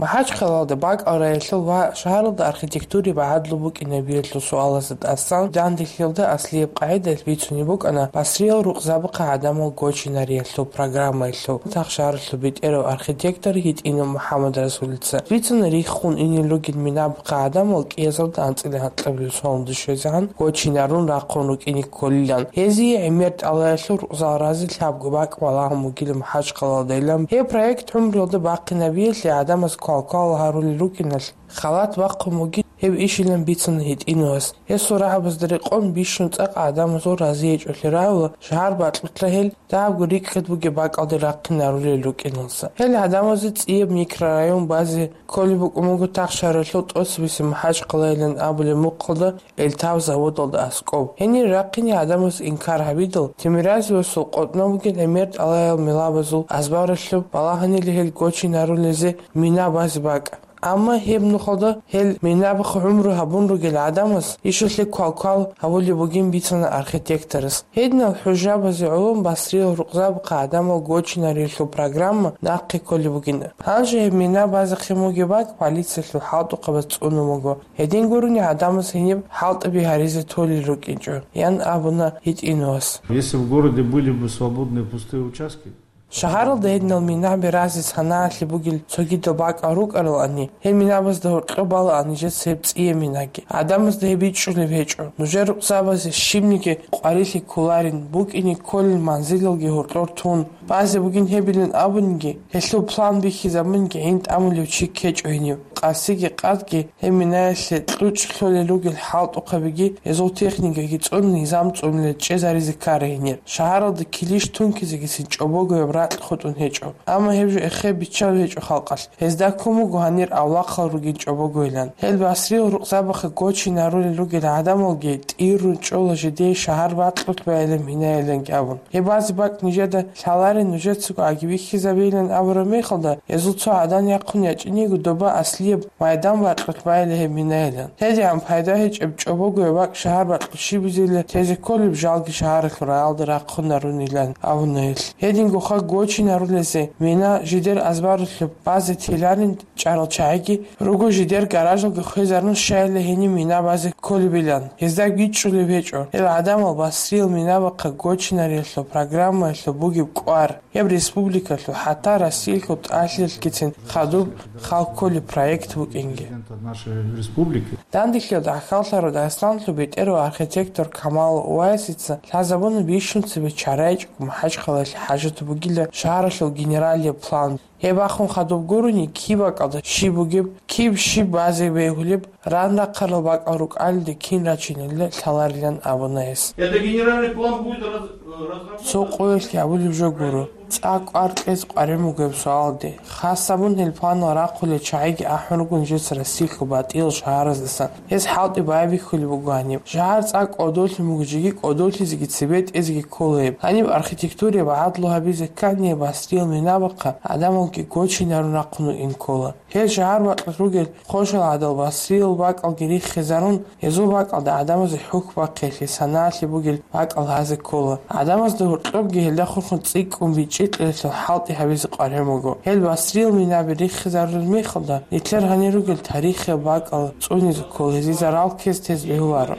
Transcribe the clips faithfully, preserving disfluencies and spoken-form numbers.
МахӀачхъалалда бакӀал раялъул ва шагьаралда архитектураялъул багӀадлъун букӀинабиялъул суалазда тӀасан, данделъиялда аслияб къагӀидаялъ бицунеб букӀана басриял рукъзабахъе гӀадамал гочинариялъул программаялъул тахшаралъул бетӀерав архитектор ГьитӀинов МухӀаммадрасулица. Бицана риххун инел ругел минабахъе гӀадамал кӀиязалда анцӀила гьанкьабилеб соналда щвезегӀан гочинарун рахъун рукӀине кколилан. Гьезие гӀемер тӀалаялъул рукъзал разе лъабго бакӀ балагьун бугила МахӀачхъалалдайилан. Гьеб проект гӀумруялда бахъинабиялъе гӀадамаз квалквал гьарулел рукӀиналъ, халат бахъун бугин гьеб ишилан бицана ГьитӀиновас. Гьесул рагӀабазда рекъон бищун цӀакъ гӀадамазул разиячӀолъи рагӀула, шагьар бакьулъа гьел дагьабго рикӀкӀад бугеб бакӀалде рахъинарулел рукӀиналса. Гьел гӀадамазе цӀияб микрорайон базе кколеб букӀун буго тахшаралъул тӀоцебесеб МахӀачхъалайилан абулеб мухъалда Эльтав заводалда аскӀоб. Гьенир рахъине гӀадамаз инкар гьабидал, Тимиразевасул къотӀнав бугин гӀемер тӀалаял милабазул азбаралъуб балагьанила гьел гочинарулезе мина базе бакӀ. Амма гьеб нухалда гьел минабахъе гӀумру гьабун ругел гӀадамаз ишалъе квалквал гьабулеб бугин бицана архитекторас. Гьединал хӀужабазе гӀоло басриял рукъзабахъе гӀадамал гочинариялъул программа нахъе кколеб бугин. Гьанже гьеб мина базехъин бугеб бакӀ полициялъул хӀалтӀухъабаз цӀунун буго. Гьедин гурони гӀадамаз гьениб хӀалтӀаби гьаризе толел рукӀинчӀо, ян абуна ГьитӀиновас. Если в городе были бы свободные пустые участки, Шагьаралда гьединал минаби разе санаялъе бугел цогидал бакӀал рукӀаралани, гьел минабазда гьоркьоб балаан нижеца гьеб цӀияб минаги. ГӀадамазда гьеб бичӀчӀулеб гьечӀо. Нужер рукъзабазе щибниги къварилъи кколарин, букӀине кколел манзилалги гьоркьор тун, базе бугин гьебилан абуниги, гьелъул план бихьизабуниги гӀин тӀамулев чи ккечӀо гьенив. Къасиги къадги гьеб минаялъе кьучӀ лъолел ругел хӀалтӀухъабиги, гьезул техникаги цӀун низам цӀунулел чӀезаризе ккара гьенир. Шагьаралда килищ тункизегицин чӀобогояб ракь хутӀун гьечӀо. Амма гьеб жо эхе биччал гьечӀо халкъалъ. Гьезда ккун буго гьанир авлахъал ругин чӀобогойилан. Гьел басриял рукъзабахъе гочинарулел ругел гӀадамалги тӀиррун чӀола жидее шагьар бакьулъ байилан минаяланги абун. Гьеб базе бакӀ нижеда лъаларин, нужецаго аги бихьизабейилан абураб мехалда, гьезул цо гӀадан яхъун ячӀиниго доба аслияб майдан бакьулъ байила гьеб минаялан. ГьедигӀан пайда гьечӀеб чӀобогояб бакӀ шагьар бакьулъ щибизейила тезе кколеб жалги шагьаралъул раялда рахъунарунилан абуна гьелъ. Гьедингоха гочинарулезе мина жидер азбаралъуб базе теларин чӀарал чагӀиги руго жидер гаражалги хвезарун щайила гьениб мина базе кколебилан. Гьезда бичӀчӀулеб гьечӀо. Гьел гӀадамал басриял минабахъе гочинариялъул программаялъул бугеб кӀвар. Гьеб республикалъул, хӀатта Россиялъул тӀалъилъгицин хадуб хал кколеб проект букӀинги. Президента нашей республики. Данделъиялда гӀахьаллъарав Дагъистаналъул бетӀерав архитектор Камал Увайсица лъазабуна бищун цебе чарайчӀого МахӀачхъалаялъе хӀажат бугила шагьаралъул генералияб план. Гьеб бахун хадуб гурони, киб бакӀалда щиб бугеб, киб щиб базе бегьулеб, ран рахъарал бакӀал рукӀалде кин рачинилла лъаларилан абуна гьес. Это генеральный план будет раз-, э, разработан. Цо къоялъ гьабулеб жо гуро. ЦӀакъ кӀвар кьезе къваригӀун бугеб суалде. Хасабун гьел планал рахъулел чагӀиги ахӀун руго нижеца Россиялъул батӀиял шагьараздасан. Гьез хӀалтӀи байбихьулеб буго гьаниб. Шагьар цӀакъ кӀодолъун буго, жеги кӀодолъизеги цебетӀезеги ккола гьеб. Гьаниб архитектураялъул багӀадлу гьабизе ккани басриял минабахъе гӀадамалги гочинарун рахъун вукӀин ккола. Гьел шагьар бакьулъ ругел хъошал гӀадал басриял бакӀалги риххизарун, гьезул бакӀалда гӀадамазе хӀухь бахъиялъе санаялъе бугел бакӀал гьазе ккола. ГӀадамазда гьоркьобги гьелда хурхун цӀикӀкӀун бичӀчӀи кьелалъул хӀалтӀи гьабизе къваригӀун буго. Гьел басриял минаби риххизарулел мехалда, нилъер гьанир ругел тарихияб бакӀал цӀунизе ккола, гьезие зарал ккезе тезе бегьуларо.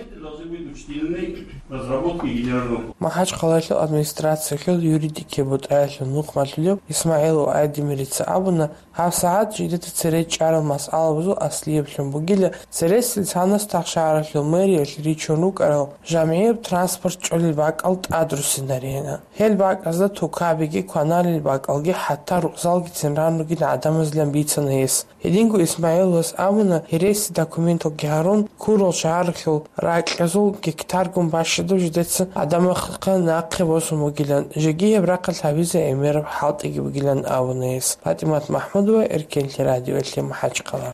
МахӀачхъалаялъул администрациялъул юридикияб бутӀаялъул нухмалъулев ИсмагӀилов Айдемирица абуна, гьабсагӀат жидеда цере чӀарал масъалабазул аслияблъун бугила цересел лъанас тахшагьаралъул мэриялъ ричун рукӀарал жамгӀияб транспорт чӀолел бакӀал тӀадруссинаригӀан. Гьел бакӀазда тукабиги, кваналел бакӀалги, хӀатта рукъзалгицин ран ругин гӀадамазилан бицана гьес. Гьединго ИсмагӀиловас абуна, гьереси документалги гьарун, ккурал шагьаралъул ракьазул гектаргун бащадаб жидеца гӀадамахъе нахъе босун бугилан, жеги гьеб рахъалъ гьабизе гӀемераб хӀалтӀиги бугилан абуна гьес. ПатӀимат МахӀмудова, Эркенлъи радиоялъе, МахӀачхъала.